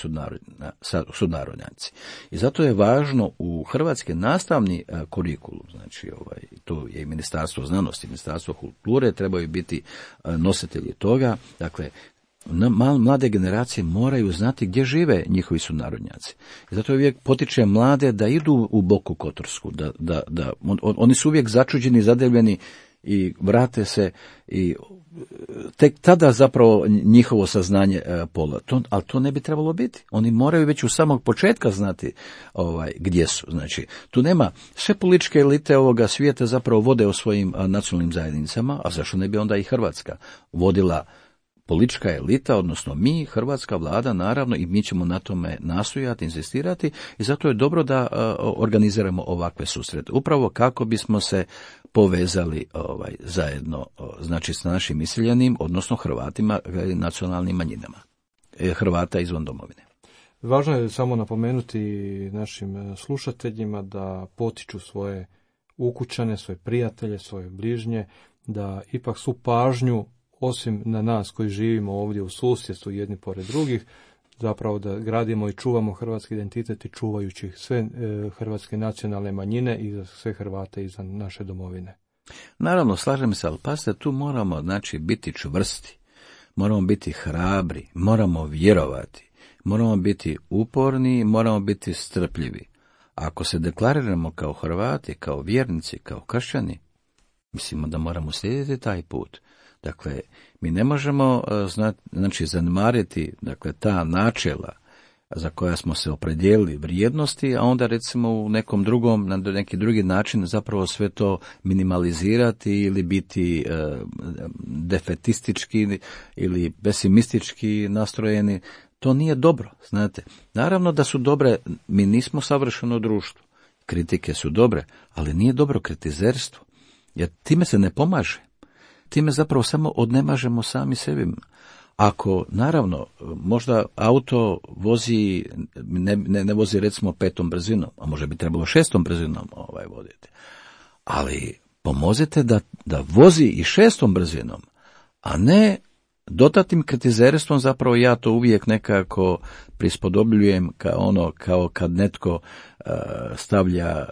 sunarodnjaci. I zato je važno u hrvatski nastavni kurikulum, znači tu je i Ministarstvo znanosti, Ministarstvo kulture trebaju biti nositelji toga, dakle Mlade generacije moraju znati gdje žive njihovi sunarodnjaci. I zato uvijek potičem mlade da idu u Boku Kotorsku, oni su uvijek začuđeni, zadivljeni i vrate se i tek tada zapravo njihovo saznanje pola. Ali to ne bi trebalo biti. Oni moraju već u samog početka znati gdje su. Znači, tu nema, sve političke elite ovoga svijeta zapravo vode o svojim nacionalnim zajednicama, a zašto ne bi onda i Hrvatska vodila politička elita, odnosno mi, hrvatska vlada, naravno, i mi ćemo na tome nastojati, insistirati, i zato je dobro da organiziramo ovakve susrete. Upravo kako bismo se povezali zajedno, znači s našim iseljenim, odnosno Hrvatima, nacionalnim manjinama, Hrvata izvan domovine. Važno je samo napomenuti našim slušateljima da potiču svoje ukućane, svoje prijatelje, svoje bližnje, da ipak su pažnju, osim na nas koji živimo ovdje u susjedstvu jedni pored drugih, zapravo da gradimo i čuvamo hrvatski identitet i čuvajući sve hrvatske nacionalne manjine i za sve Hrvate izvan naše domovine. Naravno, slažem se, ali pazite, tu moramo biti čvrsti, moramo biti hrabri, moramo vjerovati, moramo biti uporni, moramo biti strpljivi. Ako se deklariramo kao Hrvati, kao vjernici, kao kršćani, mislimo da moramo slijediti taj put. Dakle, mi ne možemo zanemariti ta načela za koja smo se opredijelili, vrijednosti, a onda recimo u nekom drugom, na neki drugi način zapravo sve to minimalizirati ili biti defetistički ili pesimistički nastrojeni. To nije dobro, znate. Naravno da su dobre, mi nismo savršeno društvo. Kritike su dobre, ali nije dobro kritizerstvo, jer time se ne pomaže. Time zapravo samo odnemažemo sami sebi. Ako, naravno, možda auto vozi, ne vozi recimo 5. brzinom, a možda bi trebalo 6. brzinom voditi. Ali pomozite da vozi i 6. brzinom, a ne dodatnim kritizerstvom. Zapravo ja to uvijek nekako prispodobljujem kao kad netko stavlja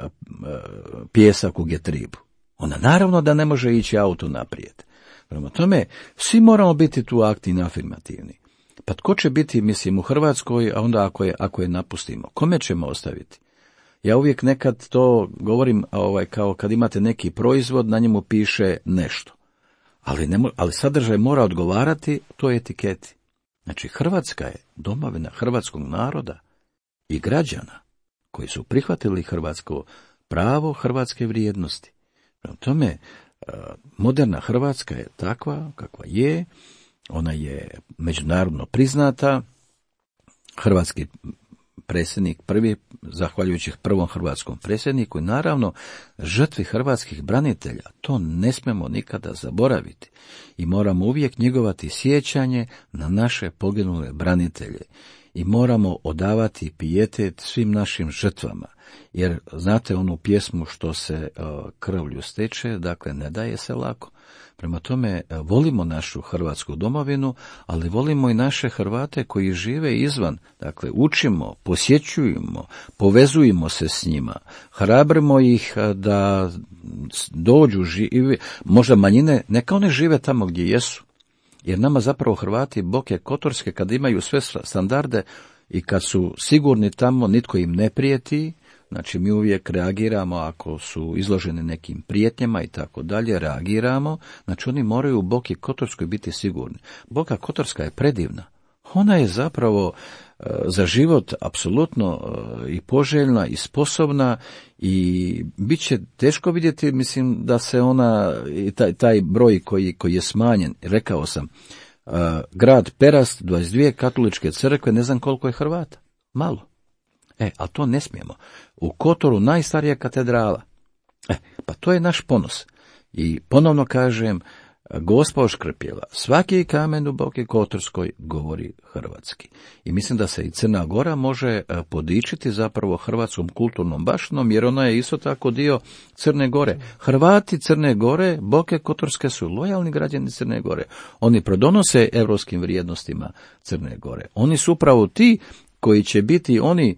pijesak u getribu. Onda naravno da ne može ići auto naprijed. Prema tome, svi moramo biti tu aktivni, afirmativni. Pa tko će biti, mislim, u Hrvatskoj, a onda ako je napustimo? Kome ćemo ostaviti? Ja uvijek nekad to govorim kao kad imate neki proizvod, na njemu piše nešto. Ali sadržaj mora odgovarati toj etiketi. Znači, Hrvatska je domovina hrvatskog naroda i građana koji su prihvatili hrvatsko pravo, hrvatske vrijednosti. Prema tome, moderna Hrvatska je takva kakva je, ona je međunarodno priznata, hrvatski predsjednik prvi, zahvaljujući prvom hrvatskom predsjedniku i naravno žrtvi hrvatskih branitelja, to ne smemo nikada zaboraviti i moramo uvijek njegovati sjećanje na naše poginule branitelje i moramo odavati pijetet svim našim žrtvama. Jer znate onu pjesmu što se krvlju steče, dakle ne daje se lako. Prema tome volimo našu hrvatsku domovinu, ali volimo i naše Hrvate koji žive izvan. Dakle učimo, posjećujemo, povezujemo se s njima, hrabrimo ih da dođu, živi, možda manjine, neka one žive tamo gdje jesu. Jer nama zapravo Hrvati Boke Kotorske kad imaju sve standarde i kad su sigurni tamo, nitko im ne prijeti. Znači mi uvijek reagiramo ako su izloženi nekim prijetnjama i tako dalje, reagiramo. Znači oni moraju u Boki Kotorskoj biti sigurni. Boka Kotorska je predivna. Ona je zapravo za život apsolutno i poželjna i sposobna i bit će teško vidjeti, mislim, da se ona, taj broj koji je smanjen, rekao sam, grad Perast, 22 katoličke crkve, ne znam koliko je Hrvata. Malo. Ali to ne smijemo. U Kotoru najstarija katedrala. Pa to je naš ponos. I ponovno kažem, Gospa oškrpjela, svaki kamen u Boki Kotorskoj govori hrvatski. I mislim da se i Crna Gora može podičiti zapravo hrvatskom kulturnom baštinom, jer ona je isto tako dio Crne Gore. Hrvati Crne Gore, Boke Kotorske su lojalni građani Crne Gore. Oni pridonose europskim vrijednostima Crne Gore. Oni su upravo ti koji će biti oni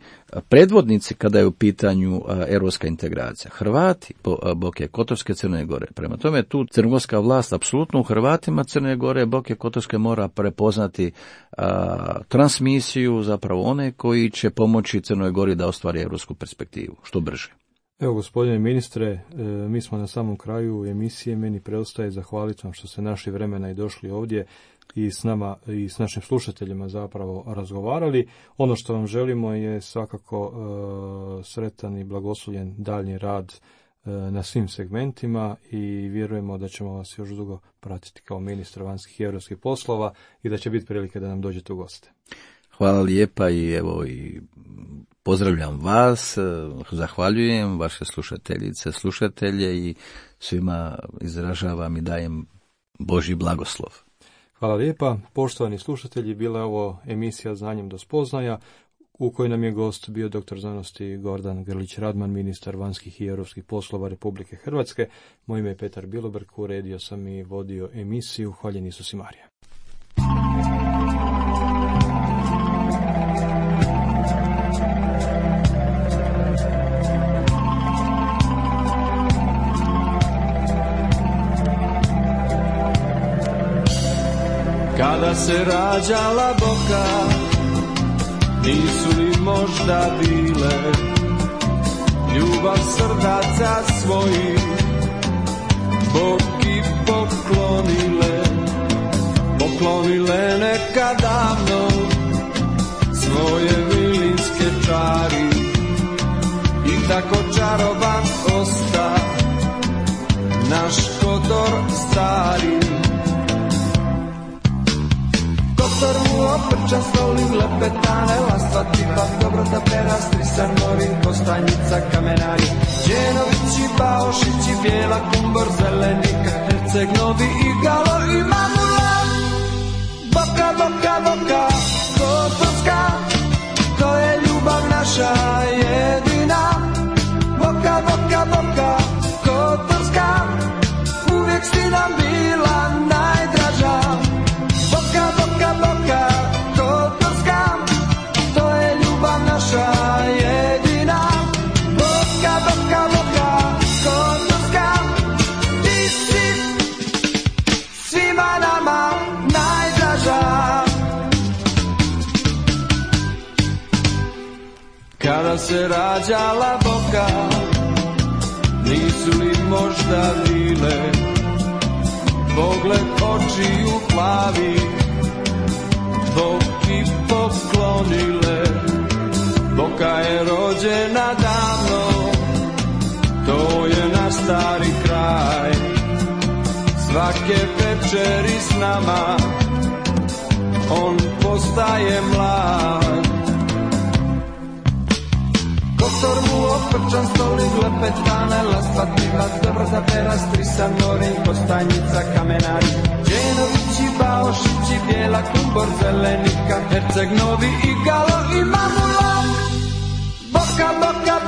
predvodnici kada je u pitanju europska integracija. Hrvati Boke Kotorske, Crne Gore. Prema tome tu crnogorska vlast apsolutno u Hrvatima Crne Gore, Boke Kotorske mora prepoznati transmisiju zapravo one koji će pomoći Crnoj Gori da ostvari europsku perspektivu što brže. Evo, gospodine ministre, mi smo na samom kraju emisije. Meni preostaje zahvaliti vam što ste našli vremena i došli ovdje i s nama i s našim slušateljima zapravo razgovarali. Ono što vam želimo je svakako sretan i blagoslovljen daljnji rad na svim segmentima i vjerujemo da ćemo vas još dugo pratiti kao ministra vanjskih i europskih poslova i da će biti prilike da nam dođete u goste. Hvala lijepa i evo i pozdravljam vas, zahvaljujem vaše slušateljice, slušatelje i svima izražavam i dajem Božji blagoslov. Hvala lijepa. Poštovani slušatelji, bila je ovo emisija Znanjem do spoznaja u kojoj nam je gost bio doktor znanosti Gordan Grlić-Radman, ministar vanjskih i europskih poslova Republike Hrvatske. Moje ime je Petar Bilobrk, uredio sam i vodio emisiju. Hvaljen Isus i Marija. Kada se rađala Boka, nisu li možda bile ljubav srdaca svojih Bogi poklonile neka davno svoje vilinske čari i tako čaroban osta naš Kotor stari. Kotor mu oprčan stoli, lepetane, lastva tipa, dobrota perastri, san morin, Kostanjica, Kamenari, Đenovići, Baošići, Bijela, Kumbor, Zelenika, Herceg, Novi, Igalo i Mamula. Boka, Boka, Boka, Kotorska, to je ljubav naša jedina. Boka, Boka, Boka, Kotorska, uvijek si nam bila najdraža. Boka, Boka, Boka, Kotorska, to je ljubav naša jedina. Boka, Boka, Boka, Kotorska, ti si svima nama najdraža. Kada se rađala Boka, nisu li možda bile pogled očiju plavi, Boki poklonile. Boka je rođena davno, to je naš stari kraj. Svake večeri s nama on postaje mlad. Kotor mu oprčan stoli, lepetane, lastva tipa, dobrota perastri, san morin, Kostanjica, Kamenari, Đenovići, Baošići, Bijela, Kumbor, Zelenika, Herceg, Novi, Igalo i Mamula. Boka, Boka,